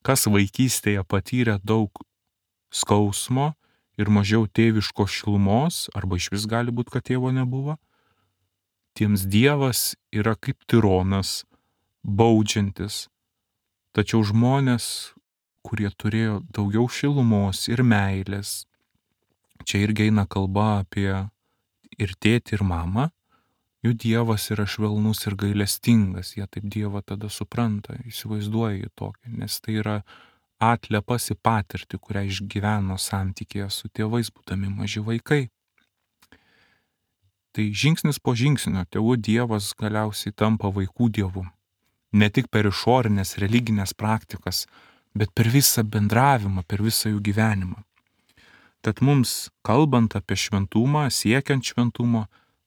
Kas vaikystėje patyrė daug skausmo ir mažiau tėviškos šilumos, arba išvis gali būti, kad tėvo nebuvo, tiems Dievas yra kaip tironas, baudžiantis. Tačiau žmonės, kurie turėjo daugiau šilumos ir meilės, čia irgi eina kalba apie ir tėtį, ir mamą, jų Dievas yra švelnus ir gailestingas, jie taip Dievą tada supranta, įsivaizduoja jį tokį, nes tai yra atliepas į patirtį, kurią išgyveno santykėje su tėvais, būdami maži vaikai. Tai žingsnis po žingsnio tėvų Dievas galiausiai tampa vaikų Dievu. Ne tik per išorinės religinės praktikas, bet per visą bendravimą, per visą jų gyvenimą. Tad mums, kalbant apie šventumą, siekiant šventumo,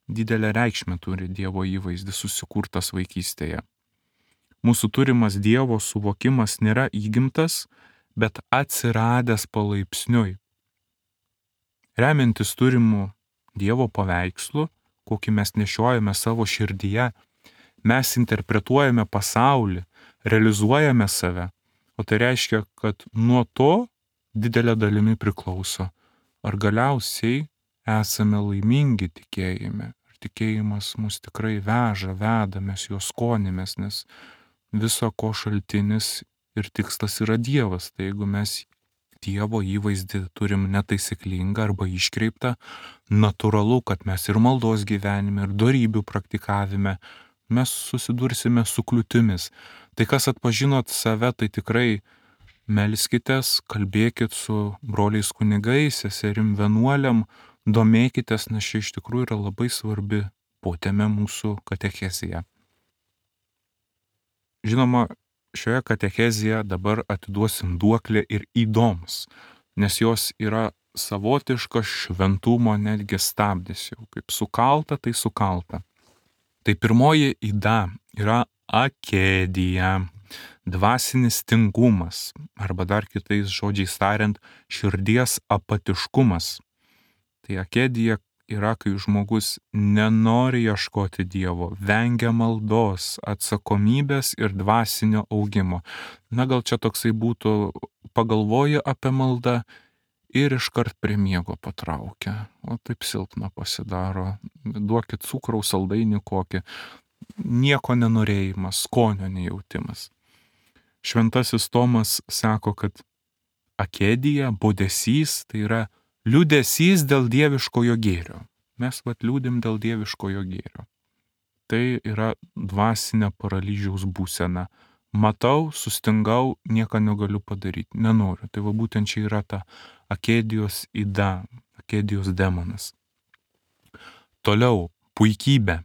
didelę reikšmę turi Dievo įvaizdis susikurtas vaikystėje. Mūsų turimas Dievo suvokimas nėra įgimtas, bet atsiradęs palaipsniui. Remiantis turimų Dievo paveikslų, kokį mes nešiojame savo širdyje, mes interpretuojame pasaulį, realizuojame save, o tai reiškia, kad nuo to didelė dalimi priklauso, ar galiausiai esame laimingi tikėjime, ar tikėjimas mus tikrai veža, veda, mes juo skonimės, nes viso ko šaltinis ir tikslas yra Dievas. Tai jeigu mes Dievo įvaizdį turim netaisyklingą arba iškreiptą, natūralu, kad mes ir maldos gyvenime, ir dorybių praktikavime mes susidursime su kliūtimis. Tai kas atpažinot save, tai tikrai melskitės, kalbėkit su broliais kunigais, seserim vienuoliam, domėkitės, nes čia iš tikrųjų yra labai svarbi potėmė mūsų katechezija. Žinoma, šioje katechezėje dabar atiduosim duoklę ir įdoms, nes jos yra savotiškas šventumo netgi stabdis jau, kaip sukalta, tai sukalta. Tai pirmoji yda yra akedija, dvasinis tingumas, arba dar kitais žodžiais tariant, širdies apatiškumas. Tai akedija yra, kai žmogus nenori ieškoti Dievo, vengia maldos, atsakomybės ir dvasinio augimo. Na gal čia toksai būtų, pagalvoji apie maldą ir iškart prie miego patraukia. O taip silpna pasidaro. Duokit cukraus saldainį kokį. Nieko nenorėjimas, skonio nejautimas. Šventasis Tomas sako, kad akedija, bodesys, tai yra liūdesys dėl dieviškojo gėrio. Mes liūdim dėl dieviškojo gėrio. Tai yra dvasinė paralyžiaus būsena. Matau, sustingau, nieko negaliu padaryti, nenoriu. Tai būtent čia yra ta akedijos yda, akedijos demonas. Toliau, puikybė.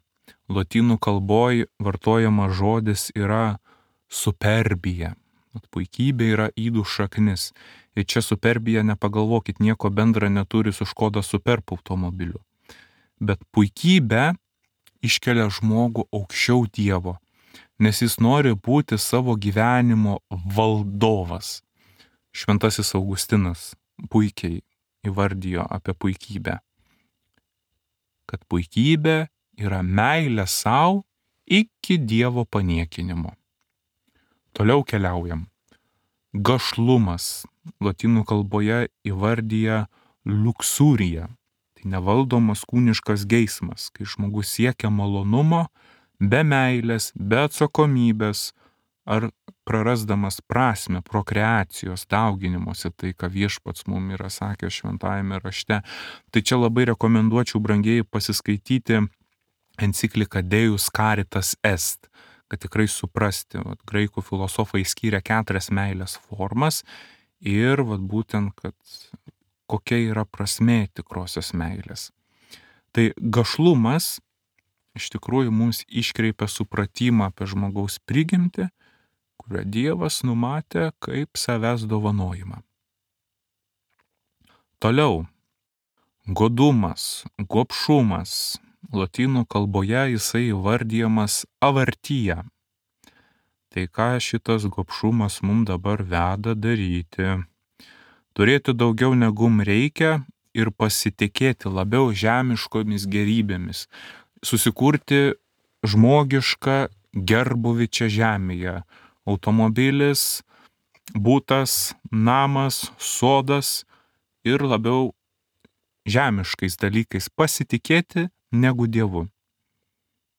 Lotynų kalboje vartojamas žodis yra superbija. Puikybė yra ydų šaknis. Ir čia superbija, nepagalvokit, nieko bendra neturi su Škoda Superb automobiliu. Bet puikybė iškelia žmogų aukščiau Dievo, nes jis nori būti savo gyvenimo valdovas. Šventasis Augustinas puikiai įvardijo apie puikybę, kad puikybė yra meilė savo iki Dievo paniekinimo. Toliau keliaujam. Gašlumas. Lotynų kalboje įvardyja luksūriją. Tai nevaldomas kūniškas geismas, kai žmogus siekia malonumo be meilės, be atsakomybės ar prarasdamas prasme prokreacijos, dauginimuose, tai ką viešpats mums yra sakęs šventajame rašte. Tai čia labai rekomenduočiau brangiai pasiskaityti encikliką Deus Caritas Est, kad tikrai suprasti. Graikų filosofai skyrė 4 meilės formas ir būtent, kad kokia yra prasmė tikrosios meilės. Tai gašlumas iš tikrųjų mums iškreipia supratimą apie žmogaus prigimtį, kurią Dievas numatė kaip savęs dovanojimą. Toliau, godumas, gobšumas. Lotynų kalboje jisai įvardyjamas avartyja. Tai ką šitas gobšumas mums dabar veda daryti? Turėti daugiau negu reikia ir pasitikėti labiau žemiškomis gerybėmis. Susikurti žmogišką gerbuvį čia žemėje. Automobilis, būtas, namas, sodas ir labiau žemiškais dalykais pasitikėti negu Dievu.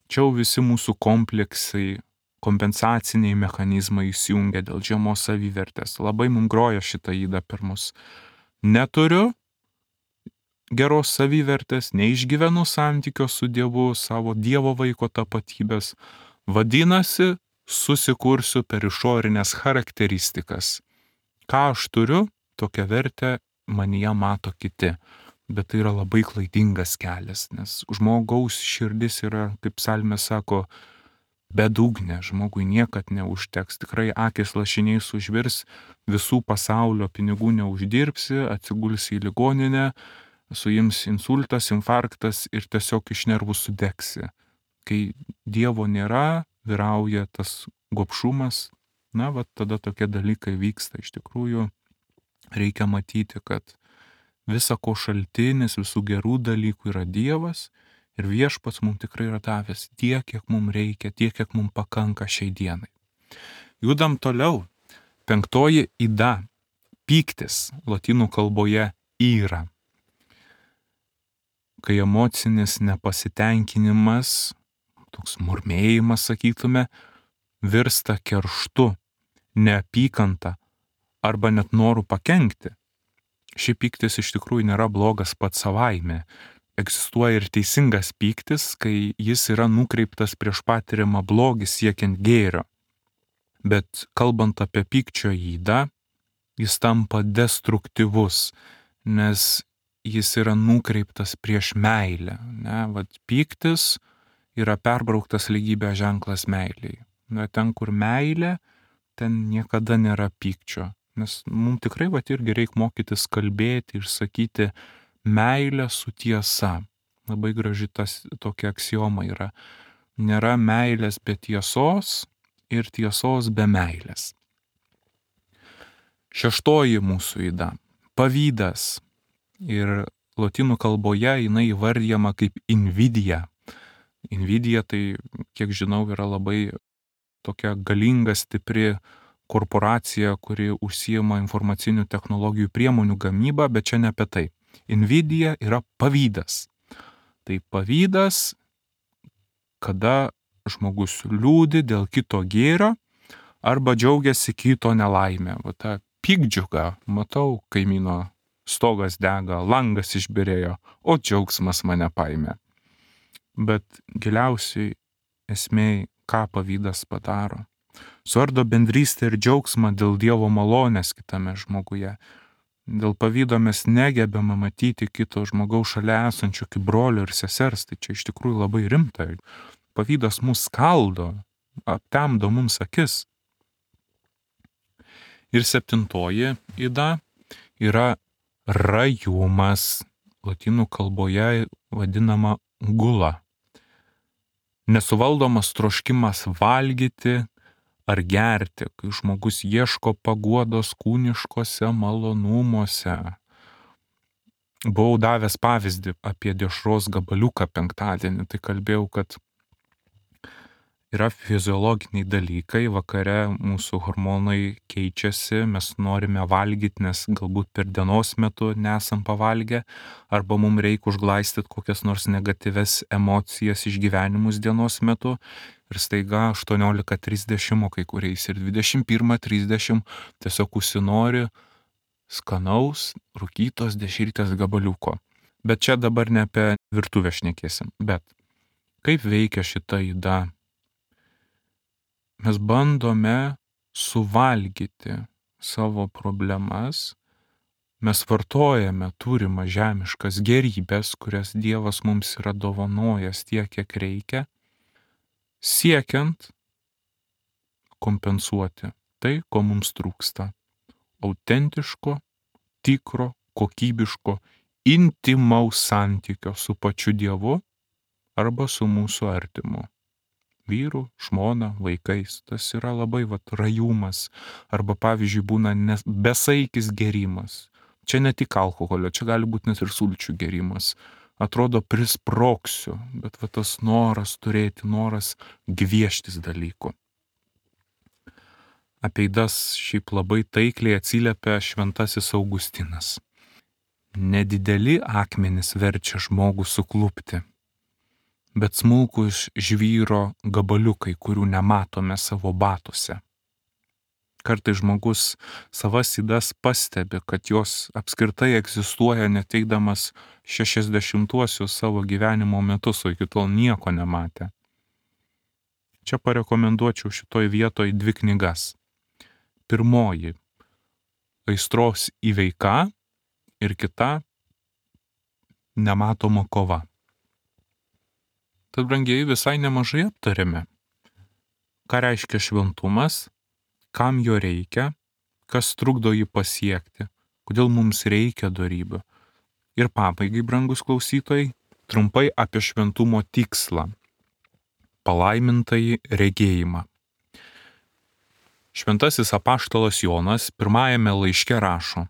Čia visi mūsų kompleksai kompensaciniai mechanizmai įsijungia dėl žemos savivertės. Labai mums groja šitą ydą per mus. Neturiu geros savivertės, neišgyvenu santykio su Dievu, savo Dievo vaiko tapatybės. Vadinasi, susikursiu per išorinės charakteristikas. Ką aš turiu, tokią vertę manyje mato kiti. Bet tai yra labai klaidingas kelias, nes žmogaus širdis yra, kaip psalmė sako, bedugnė, žmogui niekad neužteks. Tikrai akis lašiniais užvirs, visų pasaulio pinigų neuždirbsi, atsigulsi į ligoninę, suims insultas, infarktas ir tiesiog iš nervų sudegsi. Kai Dievo nėra, vyrauja tas gobšumas, na, va tada tokie dalykai vyksta. Iš tikrųjų, reikia matyti, kad visa ko šaltinis, visų gerų dalykų yra Dievas ir Viešpats mums tikrai yra davęs tiek, kiek mums reikia, tiek, kiek mums pakanka šiai dienai. Judam toliau. 5 yda. Pyktis. Lotynų kalboje yra. Kai emocinis nepasitenkinimas, toks murmėjimas, sakytume, virsta kerštu, neapykanta arba net noru pakenkti. Ši pyktis iš tikrųjų nėra blogas pats savaime. Egzistuoja ir teisingas pyktis, kai jis yra nukreiptas prieš patiriamą blogį siekiant gėrio. Bet kalbant apie pykčio ydą, jis tampa destruktyvus, nes jis yra nukreiptas prieš meilę. Vat pyktis yra perbrauktas lygybės ženklas meiliai. Ten, kur meilė, ten niekada nėra pykčio. Nes mums tikrai irgi reikia mokytis kalbėti ir sakyti meilę su tiesa. Labai graži tokia aksioma yra. Nėra meilės be tiesos ir tiesos be meilės. 6 mūsų yda. Pavydas. Ir lotynų kalboje jinai įvardyjama kaip invidija. Invidija tai, kiek žinau, yra labai tokia galinga, stipri korporacija, kuri užsiima informacinių technologijų priemonių gamybą, bet čia ne apie tai. Invidija yra pavydas. Tai pavydas, kada žmogus liūdi dėl kito gėrio arba džiaugiasi kito nelaimė. Va ta piktdžiuga, matau, kaimyno stogas dega, langas išbyrėjo, o džiaugsmas mane paėmė. Bet giliausiai esmė, ką pavydas padaro. Suardo bendrystę ir džiaugsmą dėl Dievo malonės kitame žmoguje. Dėl pavydo mes negebame matyti kito žmogaus šalia esančio kaip brolio ir sesers, tai čia iš tikrųjų labai rimta. Pavydas mus skaldo, aptemdo mums akis. Ir 7 yda yra rajumas, lotynų kalboje vadinama gula. Nesuvaldomas troškimas valgyti ar gerti, kai žmogus ieško paguodos kūniškose malonumuose. Buvau davęs pavyzdį apie dešros gabaliuką penktadienį, tai kalbėjau, kad yra fiziologiniai dalykai, vakare mūsų hormonai keičiasi, mes norime valgyti, nes galbūt per dienos metu nesam pavalgę, arba mums reikia užglaistyti kokias nors negatyves emocijas, išgyvenimus dienos metu. Ir staiga 18:30, o kai kuriais ir 21:30 tiesiog užsinori skanaus, rūkytos dešrytės gabaliuko. Bet čia dabar ne apie virtuvę šnekėsim. Bet kaip veikia šita yda? Mes bandome suvalgyti savo problemas, mes vartojame turimą žemiškas gerybės, kurias Dievas mums yra dovanojęs tiek, kiek reikia, siekiant kompensuoti tai, ko mums trūksta. Autentiško, tikro, kokybiško, intimaus santykio su pačiu Dievu arba su mūsų artimu. Vyru, žmona, vaikais. Tas yra labai rajumas. Arba pavyzdžiui būna besaikis gėrimas. Čia ne tik alkoholio, čia gali būti net ir sulčių gėrimas. Atrodo prisproksiu, bet tas noras turėti, noras gvieštis dalykų. Apie ydas šiaip labai taikliai atsiliepia šventasis Augustinas. Nedideli akmenys verčia žmogų suklupti. bet smulkus žvyro gabaliukai, kurių nematome savo batuose. Kartais žmogus savas ydas pastebi, kad jos apskritai egzistuoja neteikdamas 60-uosius savo gyvenimo metus, o iki tol nieko nematė. Čia parekomenduočiau šitoj vietoj 2 knygas. Pirmoji - Aistros įveika ir kita - Nematoma kova. Tad, brangieji, visai nemažai aptarėme, ką reiškia šventumas, kam jo reikia, kas trukdo jį pasiekti, kodėl mums reikia dorybių. Ir pabaigai, brangus klausytojai, trumpai apie šventumo tikslą - palaimintąjį regėjimą. Šventasis apaštalas Jonas pirmajame laiške rašo: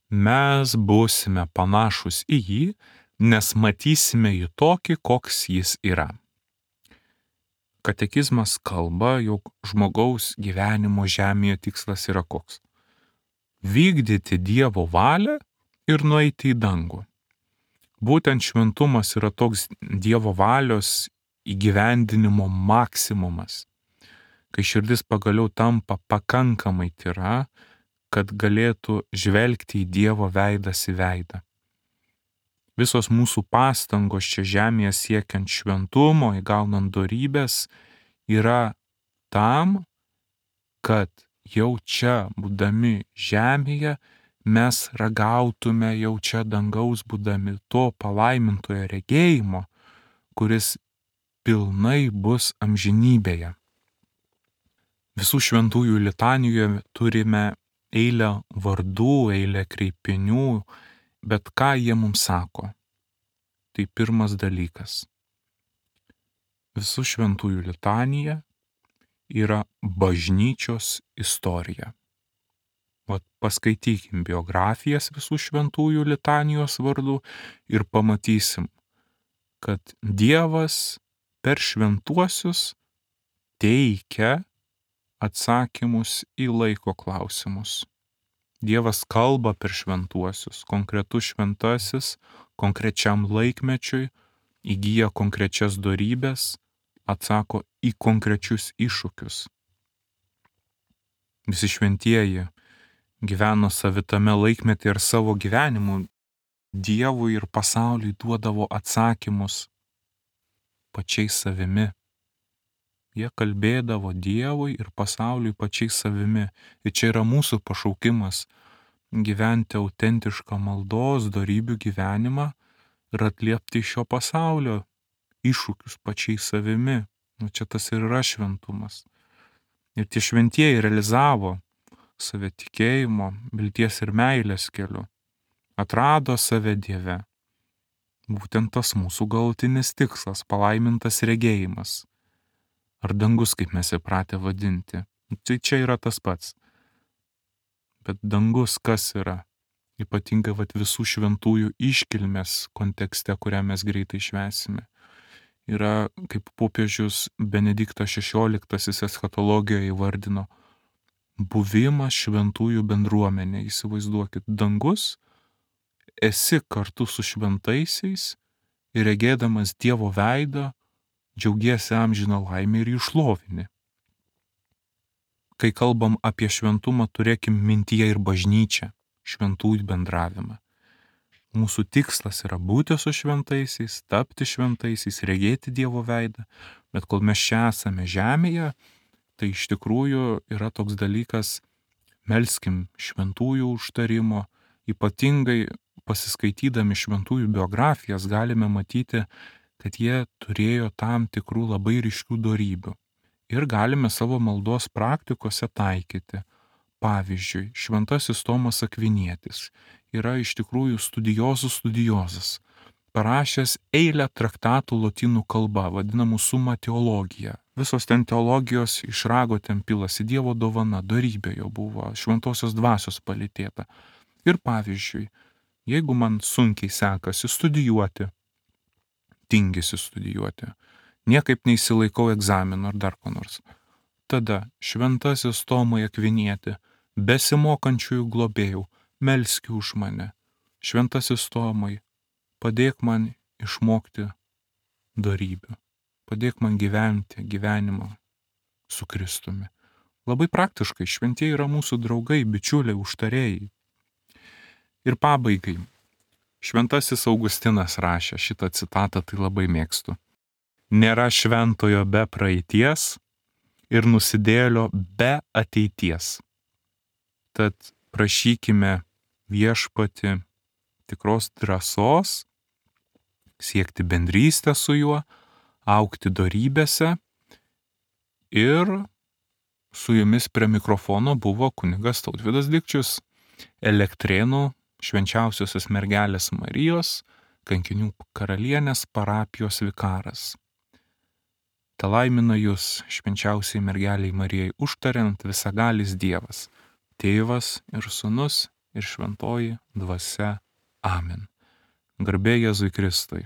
mes būsime panašus į jį, nes matysime jį tokį, koks jis yra. Katekizmas kalba, jog žmogaus gyvenimo žemėje tikslas yra koks - vykdyti Dievo valią ir nueiti į dangų. Būtent šventumas yra toks Dievo valios įgyvendinimo maksimumas, kai širdis pagaliau tampa pakankamai tyra, kad galėtų žvelgti į Dievo veidas į veidą. Visos mūsų pastangos čia žemėje siekiant šventumo, įgaunant dorybės, yra tam, kad jau čia, būdami žemėje, mes ragautume jau čia dangaus būdami to palaimintojo regėjimo, kuris pilnai bus amžinybėje. Visų šventųjų litanijoje turime eilę vardų, eilę kreipinių, bet ką jie mums sako? Tai pirmas dalykas. Visų šventųjų litanija yra bažnyčios istorija. Vat paskaitykim biografijas visų šventųjų litanijos vardų ir pamatysim, kad Dievas per šventuosius teikia atsakymus į laiko klausimus. Dievas kalba per šventuosius, konkretus šventasis konkrečiam laikmečiui įgyja konkrečias dorybės, atsako į konkrečius iššūkius. Visi šventieji gyveno savitame laikmetį ir savo gyvenimu Dievui ir pasauliui duodavo atsakymus pačiais savimi. Jie kalbėdavo Dievui ir pasauliui pačiais savimi. Ir čia yra mūsų pašaukimas - gyventi autentišką maldos, dorybių gyvenimą ir atliepti šio pasaulio iššūkius pačiais savimi. Nu, čia tas ir yra šventumas. Ir tie šventieji realizavo save tikėjimo, vilties ir meilės keliu. Atrado save Dieve. Būtent tas mūsų galutinis tikslas - palaimintas regėjimas. Ar dangus, kaip mes įpratę vadinti. Tai čia yra tas pats. Bet dangus kas yra? Ypatingai visų šventųjų iškilmės kontekste, kurią mes greitai švęsime. Yra, kaip popiežius Benediktas XVI eschatologijoje įvardino, buvimas šventųjų bendruomenė. Įsivaizduokit, dangus, esi kartu su šventaisiais ir regėdamas Dievo veidą, džiaugiesi amžiną laimę ir jį šlovini. Kai kalbam apie šventumą, turėkim mintyje ir bažnyčią, šventųjų bendravimą. Mūsų tikslas yra būti su šventaisiais, tapti šventaisiais, regėti Dievo veidą, bet kol mes čia esame žemėje, tai iš tikrųjų yra toks dalykas, melskim šventųjų užtarimo, ypatingai pasiskaitydami šventųjų biografijas galime matyti, kad jie turėjo tam tikrų labai ryškių dorybių ir galime savo maldos praktikose taikyti. Pavyzdžiui, šventasis Tomas Akvinietis yra iš tikrųjų studiozas, parašęs eilę traktatų lotynų kalba, vadinamų summa teologija. Visos ten teologijos iš rago ten pilasi, Dievo dovana, dorybė jo buvo, šventosios dvasios palytėta. Ir pavyzdžiui, jeigu man sunkiai sekasi studijuoti, tingisi studijuoti, niekaip neįsilaikau egzamino ar dar ko nors, tada šventasis Tomai Akvinieti, besimokančiųjų globėjų, melski už mane. Šventasis Tomai, padėk man išmokti dorybių. Padėk man gyventi gyvenimą su Kristumi. Labai praktiškai, šventieji yra mūsų draugai, bičiuliai, užtarėjai. Ir pabaigai. Šventasis Augustinas rašė šitą citatą, tai labai mėgstu. Nėra šventojo be praeities ir nusidėlio be ateities. Tad prašykime viešpatį tikros drąsos, siekti bendrystę su juo, augti dorybėse. Ir su jumis prie mikrofono buvo kunigas Tautvydas Dikčius, Elektrėnų Švenčiausiosios mergelės Marijos Kankinių karalienės parapijos vikaras. Telaimina jūs švenčiausiai mergeliai Marijai užtariant visagalis Dievas, Tėvas ir Sūnus ir Šventoji Dvasia. Amen. Garbė Jėzui Kristui.